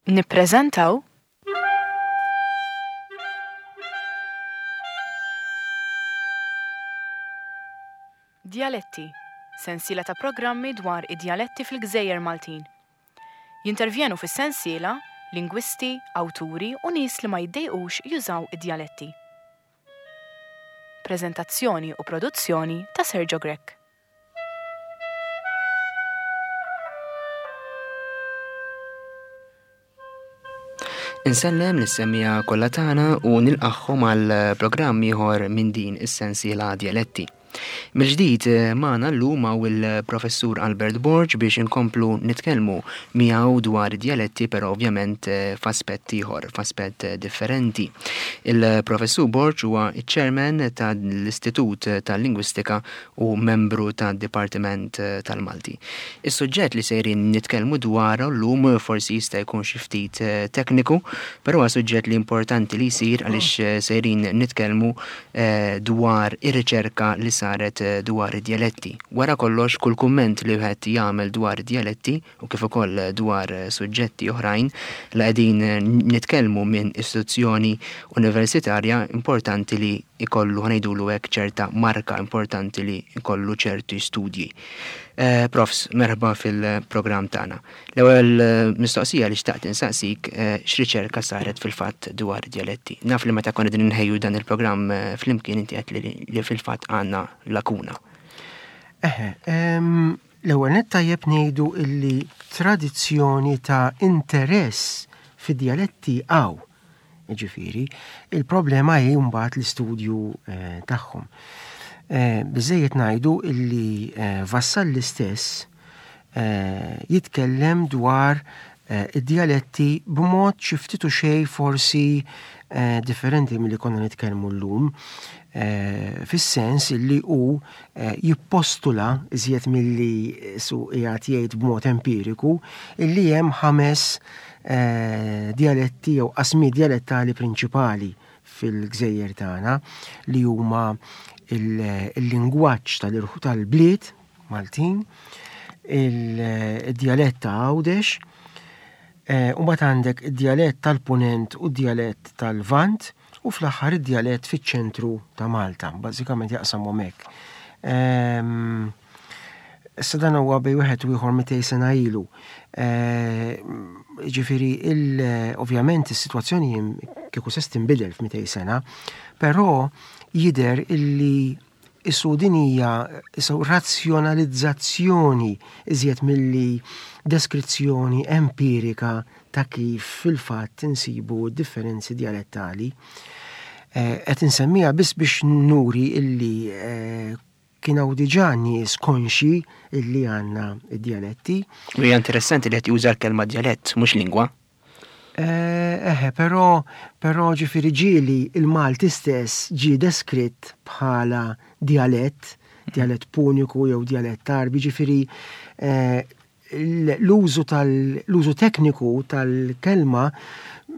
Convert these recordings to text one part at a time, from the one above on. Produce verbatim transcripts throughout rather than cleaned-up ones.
Nippreżentaw Djaletti, sensiela ta' programmi dwar id-djaletti fil-Gżejjer Maltin. Jintervjenu fis-sensiela lingwisti, awturi u nies li ma jiddejqux jużaw id-djaletti. Preżentazzjoni u produzzjoni ta' Sergio Grech. Insellem lis-semmiegħa kollha tagħna u nilqagħhom għal programm ieħor minn din is-sensiela Djaletti. Mill-ġdid magħna llum hawn il-Professur Albert Borg biex inkomplu nitkellmu miegħu dwar id-djaletti, però ovvjament f'aspett ieħor, f'aspett differenti. Il-Professur Borg huwa ċ-Chairman tal-Istitut tal-Lingwistika u membru tad-Dipartiment tal-Malti. Is-suġġett li sejrin nitkellmu dwaru llum forsi jista' jkun xi ftit tekniku, però huwa suġġett li importanti li jsir għaliex sejrin nitkellmu dwar ir-riċerka li saret dwar id-djaletti. Wara kollox, kull kumment li wieħed jagħmel dwar id-djaletti u kif ukoll dwar suġġetti oħrajn li qegħdin nitkellmu minn istituzzjoni universitarja, importanti li jkollu, ħa ngħidulu hekk, ċerta marka, importanti li jkollu ċerti studji. Eh, Profs, merħba fil-programm tagħna. L-ewwel mistoqsija li xtaqt insaqsik, eh, x'riċerka saret fil-fatt dwar id-djaletti? Naf li meta konna qegħdin inħejju dan il-programm, eh, flimkien inti għedt li, li fil-fatt għandna lakuna. Eħe, em, l-ewwel nett tajjeb ngħidu illi tradizzjoni ta' interess fid-djaletti hawn. Ġifieri, il-problema hi mbagħad l-istudju, eh, tagħhom. Eh, biżejjed ngħidu illi, eh, Vassalli stess, eh, jitkellem dwar, eh, id-djaletti b'mod xi ftit u xejn forsi, eh, differenti milli konna nitkellmu llum, eh, fis-sens illi hu, eh, jippostula iżjed milli su qiegħed jgħid b'mod empiriku illi hemm ħames, eh, djaletti jew qasmi djalettali prinċipali fil-gżejjer tagħna li huma il-, il-lingwaġġ tal-irħu tal-bliet Maltin, il-djalett ta' Għawdex, eh, u mbagħad għandek id-djalett tal-Punent u d-djalett tal-Lvant u fl-aħħar id-djalett fiċ-ċentru ta' Malta, bażikament jaqsamhom hekk. Ehm, issa dan huwa bejn wieħed u ieħor mitej sena ilu. Eh, ġifieri, il-, ovvjament is-sitwazzjoni kieku se tinbidel f'mitej sena, però jidher illi isu din hija isu razzjonalizzazzjoni iżjed milli deskrizzjoni empirika ta' kif fil-fatt insibu differenzi djalettali. Eh, qed insemmiha biss biex nuri illi, eh, kien hawn diġà nies konxi illi għandna id-djaletti. U hija interessanti li qed juża l-kelma djalett, mhux lingwa. Eh, eħe, però, però ġifieri ġieli il-Malti stess ġie deskritt bħala djalett, djalett puniku jew djalett Għarbi, ġifieri, eh, l-użu tal-, l-użu tekniku tal-kelma,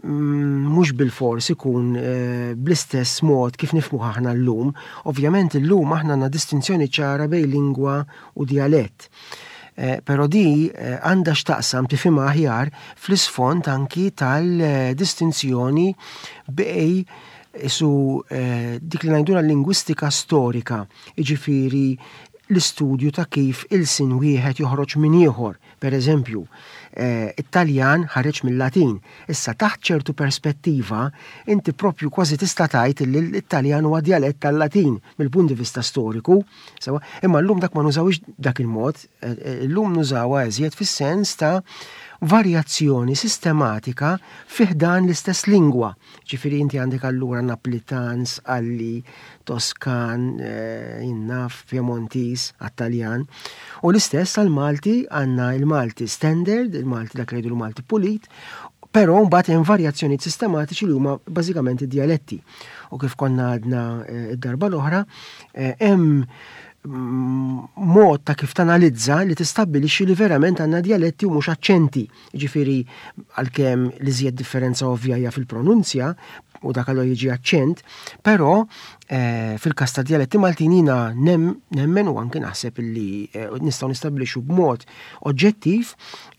mm, mhux bilfors ikun, eh, bl-istess mod kif nifhmuh aħna llum. Ovvjament illum aħna għandna distinzjoni ċara bejn lingwa u djalett. Eh, però di, eh, għandha x'taqsam tifhimha aħjar fl-isfond anki tal-distinzjoni bej isu, eh, dik li ngħidulha lingwistika storika, jiġifieri l-istudju ta' kif il-sin wieħed joħroġ minn ieħor. Per eżempju, eh, it-Taljan ħareġ mill-Latin. Issa taħt ċertu perspettiva, inti propju kważi tista' tgħid li l-Italjan huwa djalett tal-Latin mill-punt di vista storiku. Sewa, imma llum dak ma nużawix dak il-mod, eh, eh, llum nużawha eżjed fis-sens ta' varjazzjoni sistematika fi ħdan l-istess lingwa. Ġifieri inti għandek allura Naplitan, Sqalli, Toskan, eh, Innaf, Piemontis, għat-Taljan. U l-istess għal-Malti għandna il-Malti standard, il-Malti dak li jgħidu l-Malti pulit, però mbagħad hemm varjazzjonijiet sistematiċi li huma bażikament id-djaletti. U kif konna għadna, eh, id-darba l-oħra, eh, hemm mod ta' kif tanalizza li tistabbilixxi li verament għandna djaletti u mhux aċċenti. Ġifieri għalkemm li żjed differenza ovvja hija fil-pronunzja, u dak allura jiġi aċċent, però eh, fil-każ ta' djaletti Maltin jiena nemmen u anke naħseb illi eh, nistgħu nistabbilixxu b'mod oġġettiv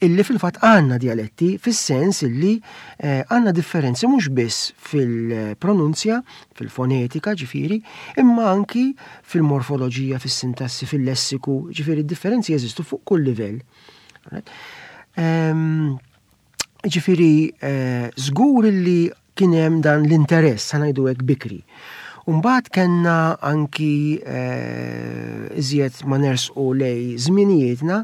illi fil-fatt għandna djaletti fis-sens illi eh, għandna differenzi mhux biss fil-pronunzja, fil-fonetika ġifieri, imma anki fil-morfoloġija, fis-sintassi, fil-lessiku, ġifieri differenzi jeżistu fuq kull livell. Ehm, ġifieri, żgur illi kien hemm dan l-interess, ħa ngħidu hekk, bikri. Umbagħad kellna anki eh, iżjed ma nersqu lejn żminijietna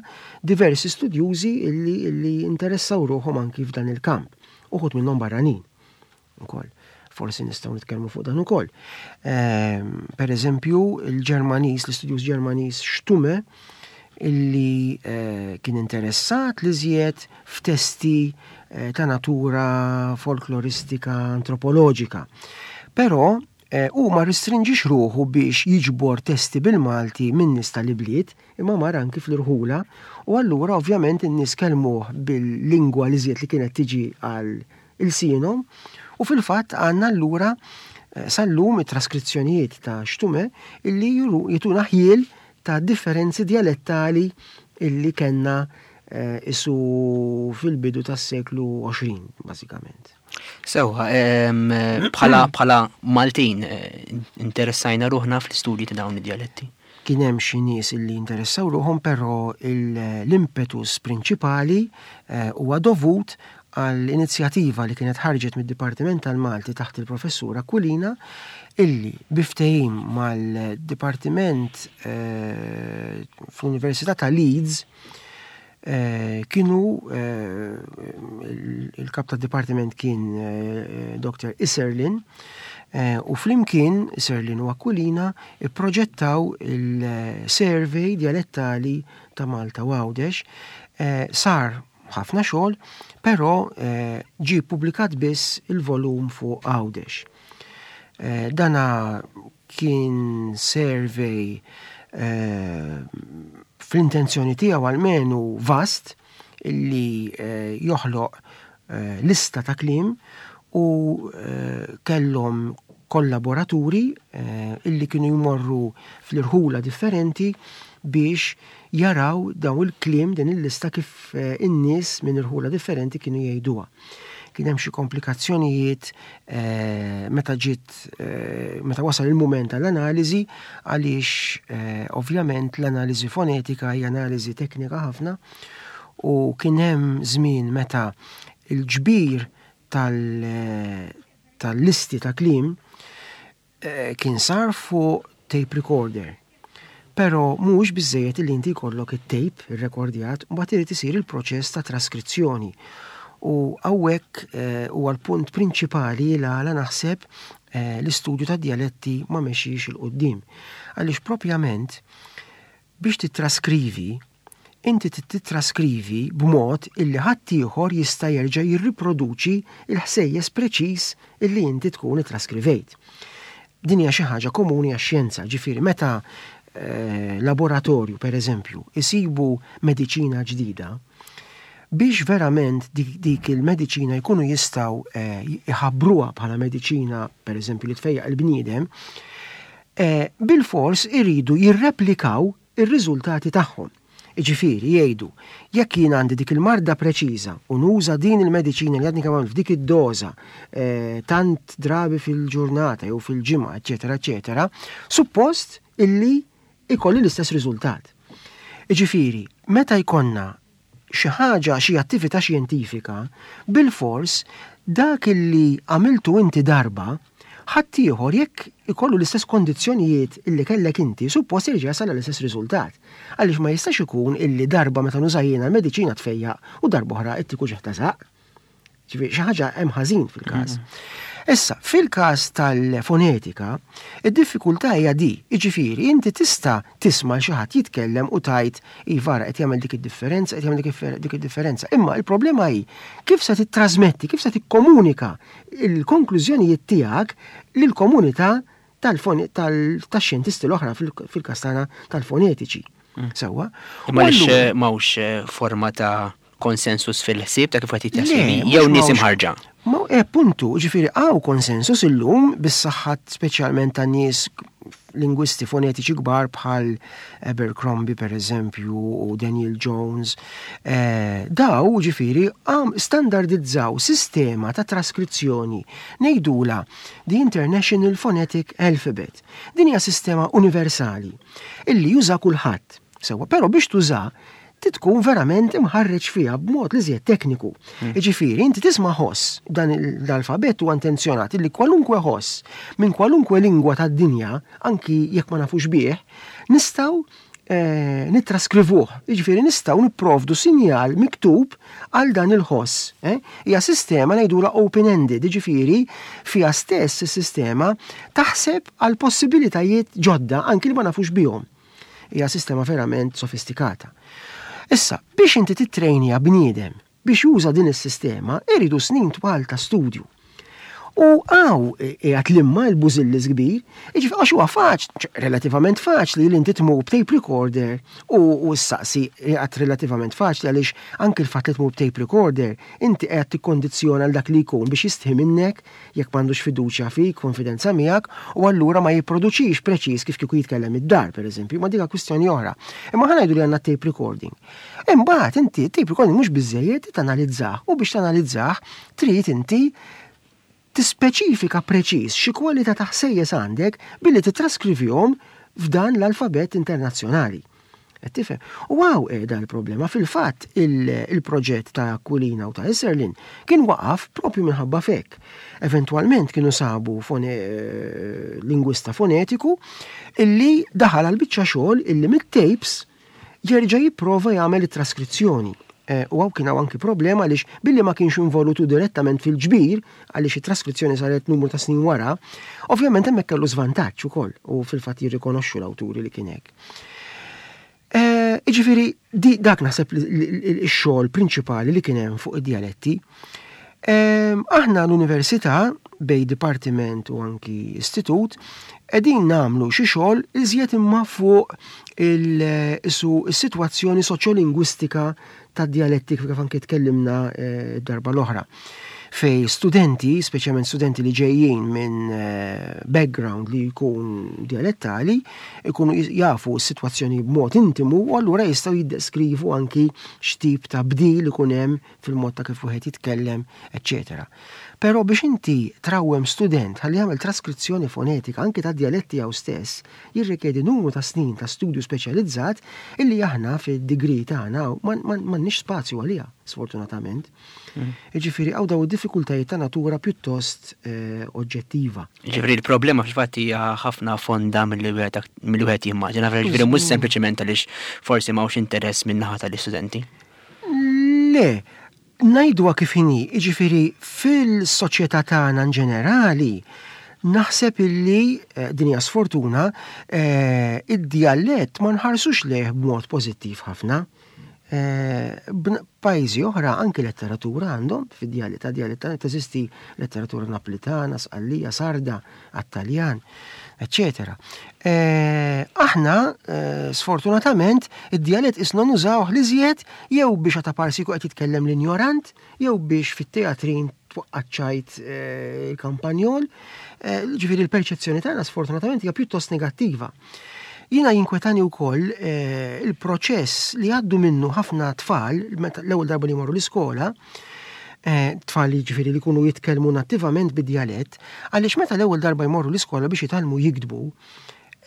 diversi studjużi illi, illi interessaw ruħhom anki f'dan il-kamp. Uħud minnhom barranin ukoll. Forsi nistgħu nitkellmu fuq dan ukoll. Eh, per eżempju, il-Ġermaniż, l-istudjuż Ġermaniż Stumme, illi eh, kien interessat li żjed f'testi eh, ta' natura folkloristika antropoloġika. Però eh, u ma restrinġix ruħu biex jiġbor testi bil-Malti minn nies tal-ibliet, imma mar anki fl-irħula, u allura ovvjament in-nies kellmuh bil-lingwa li żjed li kienet tiġi għal ilsienhom, u fil-fatt għandna allura eh, sal-lum it-traskrizzjonijiet ta' Stumme illi jtuna ħjiel ta' differenzi dialettali illi kellna eh, isu fil-bidu tas-seklu għoxrin, bażikament. Sewwa, bħala bħala Maltin eh, interessajna ruħna fl-istudji ta' dawn id-dialetti. Kien hemm xi nies illi interessaw ruħhom, però l-impetus prinċipali eh, huwa dovut għall-inizjattiva li kienet ħarġet mid-Dipartiment tal-Malti taħt il-Professur Aquilina, illi bi ftehim mal-Dipartiment eh, fl-Università ta' Leeds eh, kienu eh, il-kap ta' dipartiment kien Doktor Isserlin, u flimkien Isserlin u Aquilina ipproġettaw il-survey dialettali ta' Malta u Għawdex. Sar ħafna xogħol, però ġi publikat biss il-volum fuq Għawdex. Dana kien survey fl-intenzjoni tiegħu almenu vast, illi joħloq lista ta' kliem, u kellhom kollaboraturi illi kienu jmorru fl-irħula differenti biex jaraw daw il-kliem, din il-lista, kif in-nies minn irħula differenti kienu jgħiduha. Kien hemm xi komplikazzjonijiet meta ġiet meta wasal il-mument tal-analiżi, għaliex ovvjament l-analiżi fonetika hija analiżi teknika ħafna, u kien hemm żmien meta il-ġbir tal-listi ta' kliem kien sar fuq tape recorder. Però mhux biżejjed li inti jkollok it-tape irrekordjat, mbagħad irid isir il-proċess ta' traskrizzjoni. U hawnhekk huwa l-punt prinċipali l għala naħseb l-istudju ta' dialetti ma mexiex 'il quddiem. Għaliex propjament biex titraskrivi, inti titraskrivi b'mod illi ħaddieħor jista' jerġa' jirriproduċi il-ħsejjes preċiż illi inti tkun ittraskrivejt. Din hija xi ħaġa komuni għax-xjenza, ġifieri meta laboratorju, per eżempju, isibu mediċina ġdida, biex verament dik, dik il-mediċina jkunu jistgħu iħabbruha bħala mediċina, per eżempju, li tfejjaq il-bniedem, bil-fors iridu jirreplikaw ir-riżultati tagħhom. Ġifieri jgħidu, jekk jien għandi dik il-marda preċiża u nuża din il-mediċina li għadni kemm f'dik id-doża tant drabi fil-ġurnata jew fil-ġimgħa, eċetera, eċetera, suppost illi ikolli l-istess riżultat. Ġifieri, meta jkollna xi ħaġa, xi attività xjentifika, bil-fors dak illi għamiltu inti darba, ħaddieħor jekk ikollu l-istess kondizzjonijiet illi kellek inti, suppost jerġa' jasal l-istess riżultat. Għaliex ma jistax ikun illi darba meta nuża jiena l-mediċina tfejjaq u darba oħra ittik uġigħ ta' żaqq. Ġifieri xi ħaġa hemm ħażin fil-każ. Issa, fil-każ tal-fonetika, id-diffikultà hija di, jiġifieri inti tista' tisma' xi ħadd jitkellem u tgħid iva qed jagħmel dik id-differenza, qed jagħmel dik id-differenza. Imma il-problema hi kif se tittrasmetti, kif se tikkomunika il-konklużjonijiet tiegħek lill-komunità tax-xjentisti l-oħra, fil-każ tagħna tal-fonetiċi. Sewwa. Imma għaliex m'hawnx forma ta' konsensus fil-ħsieb ta' kif qed jittraskrivi jew nies imħarġa? Ma e puntu, ġifieri hawn konsensus illum bis-saħħa speċjalment ta' nies lingwisti fonetiċi kbar bħal Abercrombie per eżempju u Daniel Jones. Eh, daw ġifieri għam standardizzaw sistema ta' traskrizzjoni, ngħidulha the International Phonetic Alphabet. Din hija sistema universali illi juża kulħadd. Sewwa, però biex tuża tkun verament imħarreġ fiha b'mod li żjed tekniku. Mm. Ġifieri, inti tisma' ħoss, dan l-alfabet huwa intenzjonat li kwalunkwe ħoss minn kwalunkwe lingwa tad-dinja, anki jekk ma nafux bih, nistgħu eh, nittraskrivuh. Jiġifieri nistgħu nipprovdu sinjal miktub għal dan il-ħoss. Eh? Hija sistema ngħidulha open-ended, jiġifieri fiha stess is-sistema taħseb għal possibilitajiet ġodda anki li ma nafux bihom. Hija sistema verament sofistikata. Issa, biex inti titrejnja bniedem biex juża din is-sistema, iridu snin twal ta' studju. U hawn qiegħed limma l-bużillis kbir, jiġifieri għax huwa faċli, relativament faċli li inti tmur b'tape recorder u u ssaqsi, qiegħed relativament faċli għaliex anke l-fatt li tmur b'tape recorder, inti qiegħed tikkondizzjona l dak li jkun biex jistħi minnek jekk m'għandux fiduċja fik, konfidenza miegħek, u allura ma jipproduċix preċiż kif kieku jitkellem id-dar, pereżempju, ma dik kwistjoni oħra. Imma ħa ngħidu li għandna tape recording. Imbagħad inti tape recording mhux biżejjed tanalizzah, u biex tanalizzah trid inti tispeċifika preċiż xi kwalità ta' ħsejjes għandek billi titraskrivihom f'dan l-alfabet internazzjonali. Qed tifhem? U hawn qiegħda l-problema. Fil-fatt il-proġett ta' Aquilina u ta' Isserlin kien waqaf propju minħabba fek. Eventwalment kienu sabu fone, lingwista fonetiku illi daħal għal biċċa xogħol illi mit-tapes jerġa' jipprova jagħmel it-traskrizzjoni. Eh, u hawn kien hawn anki problema għaliex billi ma kienx involutu direttament fil-ġbir, għaliex it-traskrizzjoni saret numru ta' snin wara, ovvjament hemmhekk kellu żvantaġġ ukoll u fil-fatt jirrikonoxxu l-awturi li kien hekk. Eh, Jiġifieri, di dak naħseb ix-xogħol prinċipali li kien hemm fuq id-dialetti. Ehm, aħna l-università bejn dipartiment u anki istitut qegħdin nagħmlu xi xogħol iżjed imma fuq il-sitwazzjoni soċjolingwistika tad-dialetti kif anki tkellimna eh, darba l-oħra. Fej studenti, speċjalment studenti li ġejjin minn eh, background li jkun dialettali, ikunu jafu s-sitwazzjoni b'mod intimu u allura jistgħu jiddeskrivu anki x'tip ta' bdil ikun hemm fil-mod ta' kif wieħed jitkellem, eċċetera. Però biex inti trawwem student ħalli jagħmel traskrizzjoni fonetika anki ta' dialetti tiegħu stess, jirrikjedi numru ta' snin ta' studju speċjalizzat illi aħna fid-degree tagħna m'għandniex spazju għaliha, sfortunatament. Mm. Jiġifieri hawn daw id-diffikultajiet ta' natura pjuttost eh, oġġettiva. Ġifieri l-problema fil-fatt hija ħafna fonda milli wieħed jimmaġina, ġifieri mhux sempliċement għaliex forsi m'hawnx interess min-naħa tal-istudenti. Le, ngħiduha kif inhi, jiġifieri fil-soċjetà tagħna in ġenerali, naħseb illi eh, din hija sfortuna, eh, id-dialett ma nħarsux lejh b'mod pożittiv ħafna. Eh, pajjiżi oħra anki letteratura għandhom fid-dialett, ta' dialett teżisti letteratura Naplitana, Sqallija, Sarda, għat-Taljan, eċċetera. Aħna sfortunatament id-dialett isna nużawh l-iżjed jew biex għata parsiku qed jitkellem l-injorant, jew biex fit-teatrin twaqqaċċajt il-kampanjol. Ġifieri l-perċezzjoni tagħna sfortunatament hija pjuttost negattiva. Jiena jinkwetani wkoll eh, il-proċess li għaddu minnu ħafna tfal l-ewwel darba li jmorru l-iskola, eh, tfal li ġifieri li jkunu jitkellmu nattivament bid-djalett, għaliex meta l-ewwel darba jmorru l-iskola biex jitgħallmu jiktbu,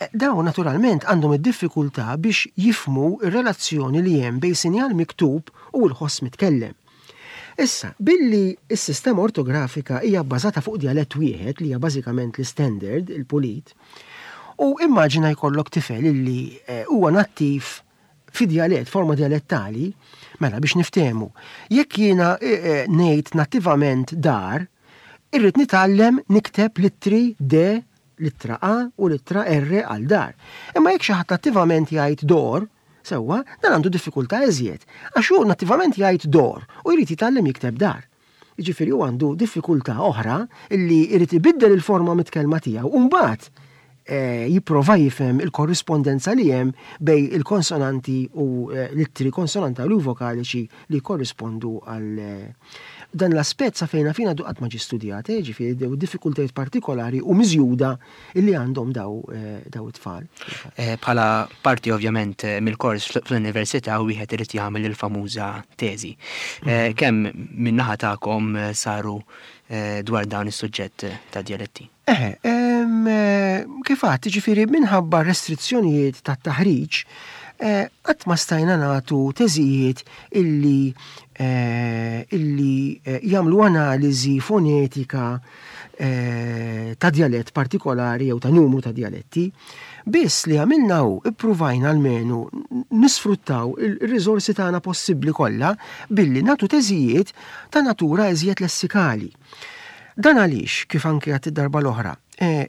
eh, dawn naturalment għandhom id-diffikultà biex jifmu ir-relazzjoni li hemm bejn sinjal miktub u l-ħoss mitkellem. Issa, billi s-sistema ortografika hija bbażata fuq djalett wieħed li hija bażikament l-standard, il-pulit, u immaġina jkollok tifel illi eh, huwa nattiv fi djalett, forma dialettali, mela biex niftehmu. Jekk jiena eh, eh, ngħid nattivament dar, irrid nitgħallem nikteb littri D, littra A u littra R għal dar. Imma jekk xi ħadd nattivament jgħid dor, sewwa, dan għandu diffikultà iżjed. Għax hu nattivament jgħid dor u jrid jitgħallem jikteb dar. Jiġifieri hu għandu diffikultà oħra illi jrid ibiddel il-forma mitkellma tiegħu u mbagħad eh, jipprova jifhem il-korrispondenza li hemm bejn il-konsonanti u eh, l-ittri konsonantali u vokaliċi li korrispondu għal eh, Dan l-aspett sa fejn naf jien għadu qatt ma ġie studjat, eh, ġifieri dew diffikultajiet partikolari u miżjuda illi għandhom daw eh, daw it-tfal. Eh, bħala parti ovvjament mill-kors fl-università wieħed irid jagħmel il-famuża teżi. Mm. Kemm min-naħa tagħkom saru dwar dawn is-suġġett ta' djaletti? Eħe, kif għedt, ġifieri minħabba restrizzjonijiet ta' taħriġ, qatt ma stajna nagħtu teżijiet illi illi jagħmlu analiżi fonetika ta' djalett partikolari jew ta' numru ta' djaletti. Biss li għamilna hu ippruvajna almenu nisfruttaw il-riżorsi tagħna possibbli kollha billi nagħtu teżijiet ta' natura iżjed lessikali. Dan għaliex, kif anke għedt id-darba l-oħra,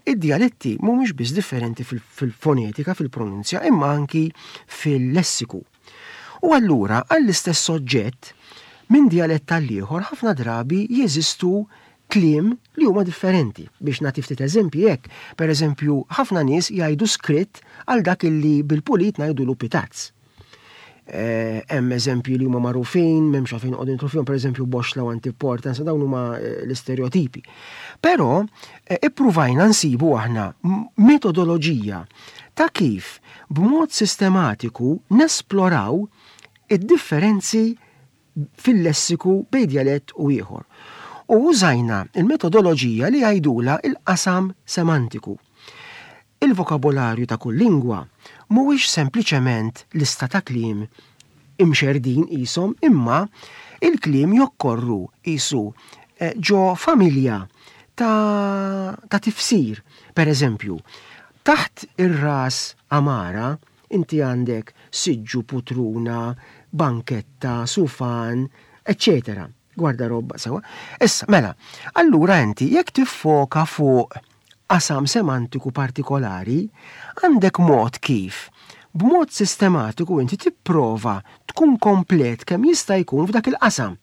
id-djaletti mhumiex biss differenti fil-fonetika, fil-pronunzja, imma anki fil-lessiku. U allura għall-istess soġġett minn djalett għall-ieħor ħafna drabi jeżistu kliem li huma differenti. Biex nagħti ftit eżempji hekk, per eżempju, ħafna nies jgħidu skritt għal dak illi bil-pulit ngħidulu pitazz. Hemm eżempji li huma magħrufin, m'hemmx għalfejn noqogħdu nidħlu fihom, per eżempju boxla u antiporta, dawn huma l-istereotipi. Però ippruvajna nsibu aħna metodoloġija ta' kif b'mod sistematiku nesploraw id-differenzi fil-lessiku bejn djalett u ieħor. U użajna il-metodoloġija li jgħidula il-qasam semantiku. Il-vokabolarju ta' kull lingwa mhuwiex sempliċement lista ta' kliem imxerdin qishom, imma il-kliem jokkorru qisu ġo familja ta', ta' tifsir. Per eżempju, taħt ir-ras amara inti għandek siġġu, putruna, banketta, sufan, eccetera. Gwardarobba sewa. Issa, mela, allura inti jekk tiffoka fuq qasam semantiku partikolari, għandek mod kif b'mod sistematiku inti tipprova tkun komplet kemm jista' jkun f'dak il-qasam.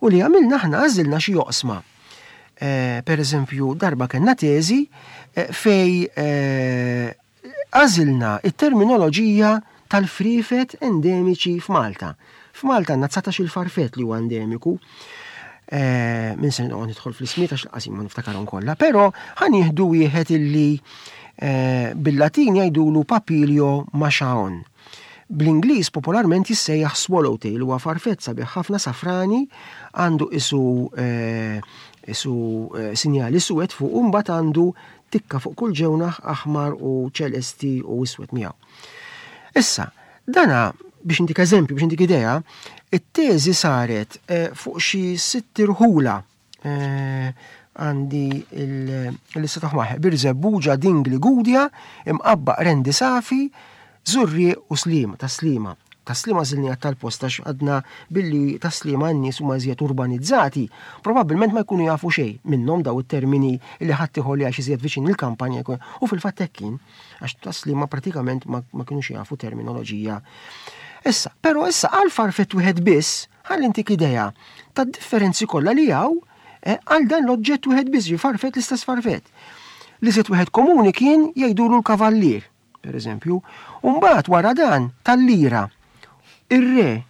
U li għamilna aħna għażilna xi oqsma. Eh, per eżempju, darba kellna teżi eh, fej eh, għażilna it-terminoloġija tal-frifet endemiċi f'Malta. F'Malta għandna dsatax il-farfet li huwa endemiku. Eh, min se noqgħod nidħol fl-ismijiet għax l-qasim ma niftakarhom kollha, però ħa nieħdu wieħed illi eh, bil-Latin jgħidulu Papilio machaon. Bl-Ingliż popolarment jissejjaħ swallowtail, huwa farfett sabiħ ħafna safrani, għandu isu, eh, isu, eh, sinjali suwed fuq u mbagħad għandu tikka fuq kull ġewnaħ aħmar u ċelesti u iswed miegħu. Issa, dana biex intik eżempju, biex intik idea, it-teżi saret, eh, fuq xi sitt irħula. Eh, għandi il-lista ta' ħmaħ, Birżebbuġa, Dingli, Gudja, Imqabba, Rendi Safi, Żurrieq u Sliema, ta' Sliema. Ta' Sliema żilni għat tal-post għax għadna billi ta' Sliema n-nies huma iżjed urbanizzati, probabbilment ma jkunu jafu xejn minnhom daw it-termini li ħadd ieħor li għax iżjed viċin il-kampanja jkun. U fil-fatt hekk kien, għax ta' Sliema pratikament ma, ma kinux jafu terminoloġija. Issa, però issa għal farfett wieħed biss, ħalli intik idea tad-differenzi kollha li hawn, eh, għal dan l-oġġett wieħed biss, ġi farfett l-istess farfett. Li żied wieħed komuni kien jgħidulu l-kavallier, per eżempju, u mbagħad wara dan tal-lira, ir-re,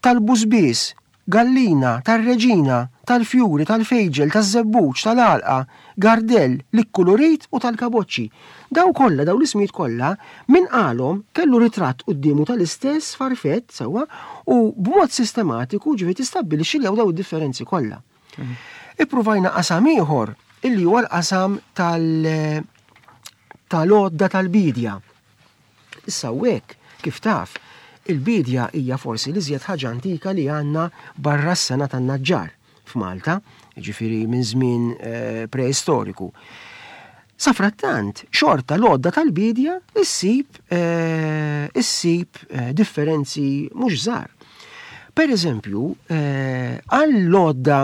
tal-busbies, gallina, tar-reġina, tal-fjuri, tal-fejġel, taż-żebbuġ, tal-għalqa, gardell, l-ikkulurit u tal-kaboċċi. Daw kollha, daw l-ismijiet kollha, min qalhom kellu ritratt quddiemu tal-istess farfett sewwa u b'mod sistematiku ġifieri tistabbilixxi li hawn daw id-differenzi kollha. Mhm. Ippruvajna qasam ieħor illi huwa l-qasam tal-, tal-għodda tal-bidja. Issa hekk, kif taf, il-bidja hija forsi l-iżjed ħaġa antika li għandna barra s-sena tan-naġġar f'Malta, jiġifieri minn żmien, eh, preistoriku. Safrattant, xorta l-għodda tal-bidja issib, eh, issib, eh, differenzi mhux żgħar. Per eżempju, eh, għall-għodda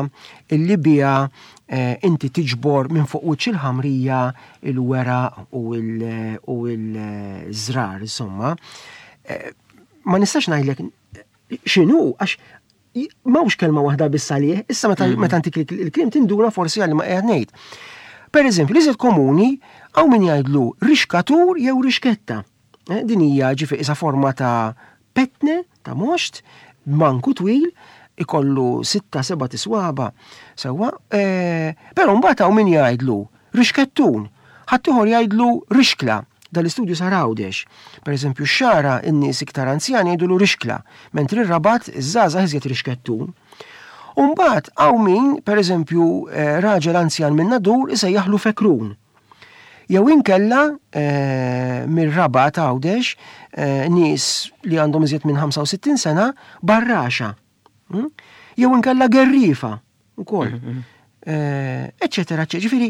illi biha, eh, inti tiġbor minn fuq wiċċ il-ħamrija il-weraq u il-, u il-żrar, insomma, eh, ma nistax ngħidlek x'inhu, għax m'hawnx kelma waħda biss għalih, issa meta Mm. meta ntik il-, il-kliem tinduna forsi għalli ma qiegħed ngħid. Per eżempju, l-iżjed komuni hawn min jgħidlu rixkatur jew rixketta. Eh, din hija ġifi isa forma ta' petne, ta' moxt, manku twil, Ikollu sitta, seba' tiswaba, sewwa, eh, però mbagħad hawn min jgħidlu rixkettun, ħaddieħor jgħidlu rixkla. Dal-istudju sar Għawdex. Per eżempju, x-Xagħra in-nies iktar anzjani jgħidulu rixkla, mentri r-Rabat iż-żgħażagħ iżjed rixkettun. U mbagħad hawn min, per eżempju, eh, raġel anzjan minn Nadur isejjaħlu fekrun. Jew inkella eh, mir-Rabat Għawdex eh, nies li għandhom iżjed minn ħamsa u sittin sena barraxa. Mm? Jew inkella gerrifa ukoll. Eh, Eċċetera, eċċetera. Ġifieri,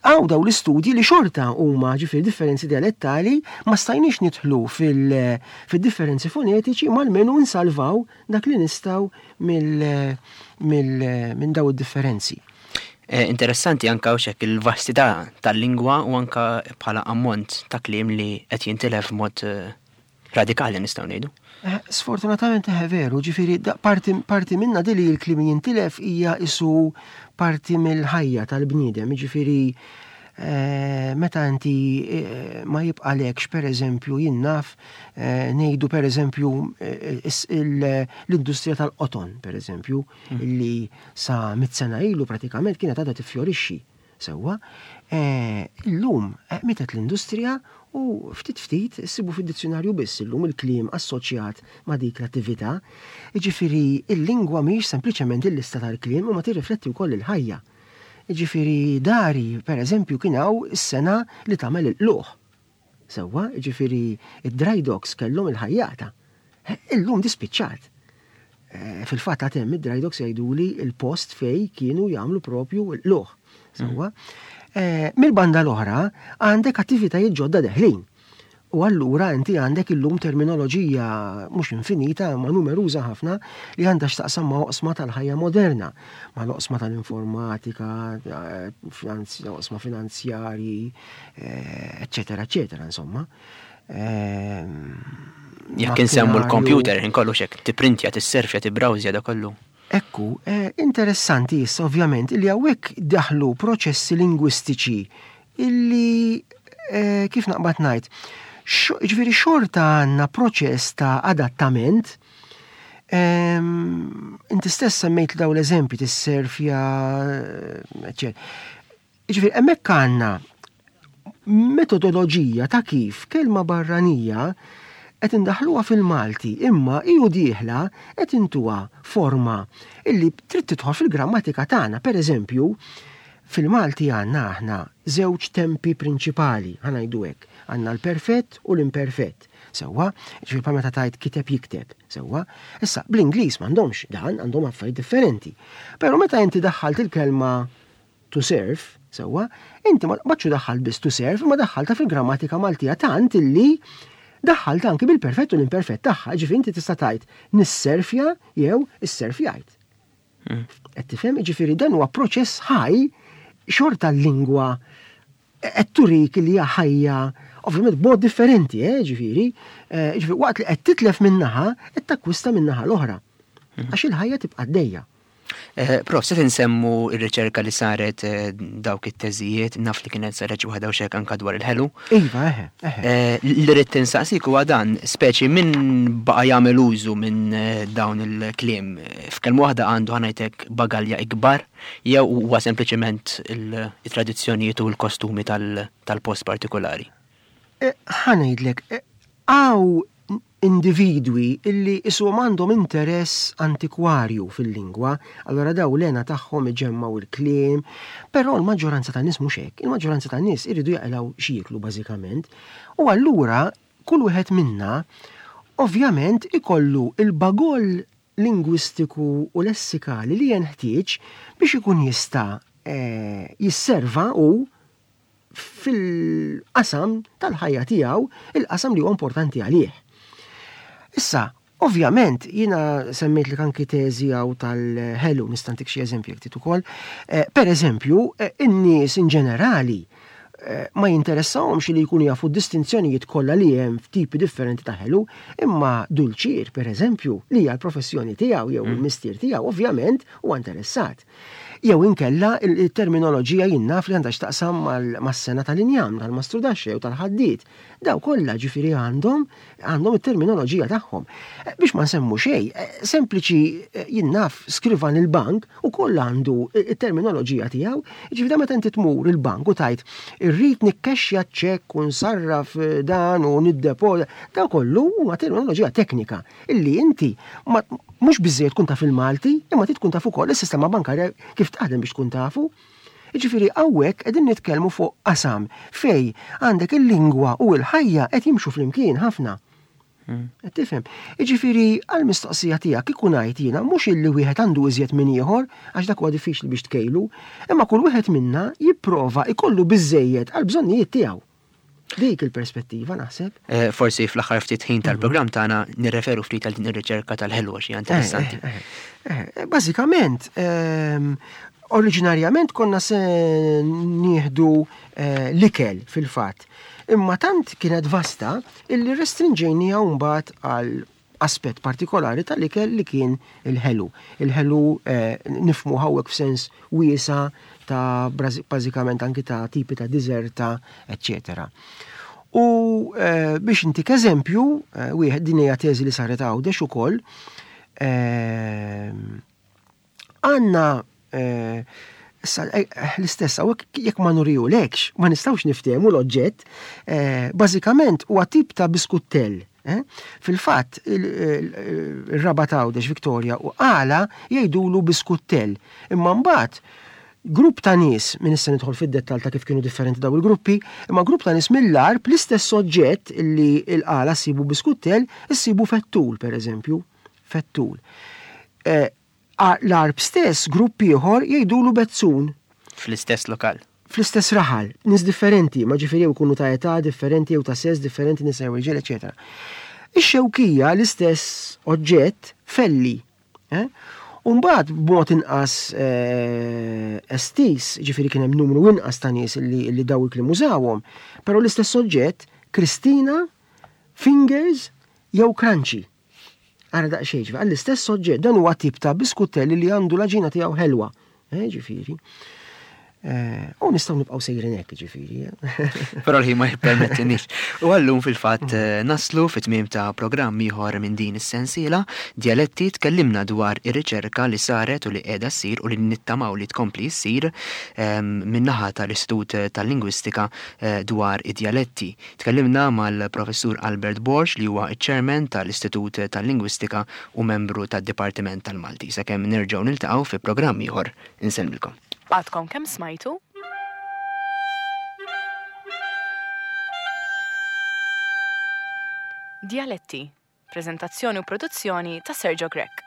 hawn daw l-istudji li xorta huma ġifieri differenzi dialettali, ma stajniex nidħlu fil- fil-differenzi fonetiċi, ma almenu nsalvaw dak li nistgħu mill- mill- minn daw id-differenzi. Eh, Interessanti anka u xek il-vastità tal-lingwa u anka bħala ammont ta' kliem li qed jintilef mod eh, radikali, nistgħu ngħidu. Eh, Sfortunatament eħe veru, ġifieri da- parti, parti minna dili l-kliem jintilef hija isu parti mill-ħajja tal-bniedem, ġifieri eh, meta inti eh, ma jibqalekx, per eżempju, jien naf, eh, ngħidu per eżempju eh, is- il- l-industrija tal-qoton, per eżempju, illi sa mit sena ilu pratikament kienet għadha tifjorixxi. Sewwa, eh, illum eh, mietet l-industrija u ftit ftit issibu fid-dizzjonarju biss illum il-kliem assoċjat ma' dik l-attività. Jiġifieri il-lingwa mhix sempliċement il-lista tal-kliem, imma tirrifletti wkoll il-ħajja. Jiġifieri dari, per eżempju, kien hawn is-sengħa li tagħmel il-qluħ. Sewwa, jiġifieri id-dry docks kellhom il-ħajjata. Eh, Illum dispiċċat. Eh, Fil-fatt għad hemm id-dry docks, jgħiduli il-post fej kienu jagħmlu propju l-qluħ. Sewwa. Eh, Mill-banda l-oħra għandek attivitajiet ġodda deħlin. U allura inti għandek illum terminoloġija mhux infinita ma numeruża ħafna li għandha x'taqsam ma' oqsma tal-ħajja moderna, ma' l-oqsma tal-informatika, eh, finanzi- oqsma finanzjarji, eh, eccetera, eccetera, insomma. Ehm, Jekk insemmu Makkinarju. l-computer, inkollu xek, tipprintja, tisserfja, tibbrawżja, da kollu. Ekku, eh, interessanti issa ovvjament illi hawnhekk daħlu proċessi lingwistiċi illi eh, kif naqbad ngħid, ġifieri xorta għandna proċess ta' adattament. Ehm, inti stess semmejt daw l-eżempji tisserfja, eccetera. Ġifieri hemmhekk għandna metodoloġija ta' kif kelma barranija qed indaħluha fil-Malti, imma iju dieħla qed intuha forma illi trid tidħol fil-grammatika tagħna. Per eżempju, fil-Malti għandna aħna żewġ tempi prinċipali, ħa ngħidu hekk. Għandna l-perfett u l-imperfett. Sewwa, ġifieri pa meta tgħid kiteb, jikteb, sewwa. Issa, bl-Ingliż m'għandhomx dan, għandhom affarijiet differenti. Però meta inti daħħalt il-kelma to serve, sewwa, inti ma baċċu daħħalt biss to serve, ma daħħalta fil-grammatika Maltija tant illi daħħalt anki bil-perfett u l-imperfett tagħha, ġifieri inti tista' tgħid nisserfja jew isserfjajt. Qed tifhem? Ġifieri dan huwa proċess ħaj, xorta l-lingwa qed turik li hija ħajja, ovvjament b'mod differenti, eh, ġifieri, eh, ġifieri waqt li qed titlef minnaħa, qed takkwista minnaħa l-oħra. Għax il-ħajja tibqa' għaddejja. Eh, Prof, se nsemmu il-riċerka li saret, eh, dawk it-teżijiet, naf li kienet saret xi waħda u xek anka dwar il-ħelu. Iva, eħe, eħe. Eh, Li rrid tinsaqsik huwa dan, speċi min baqa' jagħmel użu minn eh, dawn il-kliem, f'kelma waħda għandu, ħa ngħidlek, bagalja ikbar jew huwa sempliċement il-tradizzjonijiet u l-kostumi tal- tal-post partikolari? Eh, ħa ngħidlek, eh, hawn individwi illi isuhom għandhom interess antikwarju fil-lingwa, allora daw l-hena tagħhom iġemmaw il-kliem, però l-maġġoranza tan-nies mhux hekk, il-maġġoranza tan-nies iridu jaqilgħu x'jieklu bażikament. U allura kull wieħed minna ovvjament ikollu il-bagoll lingwistiku u lessikali li jenħtieġ biex ikun jista' eh, jisserva u fil-qasam tal-ħajja tiegħu, il-qasam li huwa importanti għalih. Issa, ovvjament, jiena semmejt li anki teżi hawn tal-ħelu, nista' ntik xi eżempju jekk trid ukoll. Eh, per eżempju, eh, in-nies in ġenerali eh, ma jinteressawhomx li jkunu jafu distinzjonijiet kollha li hemm f'tipi differenti ta' ħelu, imma dulċier, per eżempju, li hija l-professjoni tiegħu jew il-mistier tiegħu, ovvjament huwa interessat. Jew inkella il-terminoloġija jien naf li għandha x'taqsam mas-sengħa tal-injam, tal-mastrudaxxa jew tal-ħaddied. Daw kollha ġifieri għandhom għandhom it-terminoloġija tagħhom. Biex ma nsemmu xejn, sempliċi jien naf skrivan il-bank u kollha għandu it-terminoloġija tiegħu. Ġifieri meta inti tmur il-bank u tgħid irrid nikkexxja ċekk u nsarraf dan u niddepożita, daw kollu huwa terminoloġija teknika illi inti mhux biżejjed tkun taf il-Malti, imma trid tkun taf ukoll is-sistema bankarja kif taħdem biex tkun tafu. Jiġifieri hawnhekk qegħdin nitkellmu fuq qasam fej għandek il-lingwa u l-ħajja qed jimxu flimkien ħafna. Qed tifhem? Jiġifieri għall-mistoqsija tiegħek kieku ngħid jiena mhux illi wieħed għandu iżjed minn ieħor għax dak huwa diffiċli biex tkejlu, imma kull wieħed minna jipprova jkollu biżejjed għall-bżonnijiet tiegħu. Dik il-perspettiva naħseb. Eh, forsi fl-aħħar ftit ħin tal-programm tagħna nirreferu ftit għal din ir-riċerka tal-ħelwa xi interessanti. Eh, eh, eh, Bażikament, ehm, oriġinarjament konna se nieħdu eh, l-ikel fil-fatt. Imma tant kienet vasta illi restrinġejnija mbagħad għal aspett partikolari tal-ikel li kien il-ħelu. Il-ħelu eh, nifhmu hawnhekk f'sens wiesa ta' bażikament anki ta' tipi ta' diżerta, eccetera. U eh, biex intik eżempju, eh, wieħed din hija teżi li saret Għawdex ukoll, eh, għandna eh, issa, eh, l-istess, hawnhekk jekk ma nurihulekx, ma nistgħux niftehmu l-oġġett, eh, bażikament huwa tip ta' biskuttell. Eh? Fil-fatt, il-Rabat Għawdex Victoria u għala jgħidulu biskuttell. Imma mbagħad grupp ta' nies, minn issa nidħol fid-dettall ta' kif kienu differenti daw il-gruppi, imma grupp ta' nies mill-Għarb l-istess oġġett illi l-għala ssibu biskuttell, issibu fettul, per eżempju, fettul. Eh, L-Għarb stess, grupp ieħor jgħidulu bezzun. Fl-istess lokal. Fl-istess raħal, nies differenti, ma ġifieri jew ikunu ta' età differenti jew ta' sess differenti, nisa jew irġiel, eċetera. Ix-Xewkija l-istess oġġett felli. Eh? Umbagħad b'mod inqas eh, estis, ġifieri kien hemm numru inqas ta' nies li, li daw il-kliem użawhom, però l-istess oġġett Kristina, Fingers jew Crunchy. Ara daqsxejn, ġifieri, għall-istess oġġett dan huwa tip ta' biskuttelli li għandu l-għaġina tiegħu ħelwa. Eh, ġifieri. Eh, u nistgħu nibqgħu sejrin hekk, ġifieri. Però l-ħin ma jippermettinix. U għallum fil-fatt eh, naslu fit-tmiem ta' programm ieħor minn din is-sensiela Djaletti. Tkellimna dwar ir-riċerka li saret u li qiegħda ssir u li nittamaw li tkompli ssir ehm, min-naħa tal-Istitut tal-Lingwistika eh, dwar id-djaletti. Tkellimna mal-Professur Albert Borg li huwa iċ-Chairman tal-Istitut tal-Lingwistika u membru tad-Dipartiment tal-Malti. Sakemm nerġgħu niltaqgħu fi programm ieħor, insellmilkom. Għadkom kemm smajtu? Djaletti, prezentazzjoni u produzzjoni ta' Sergio Grech.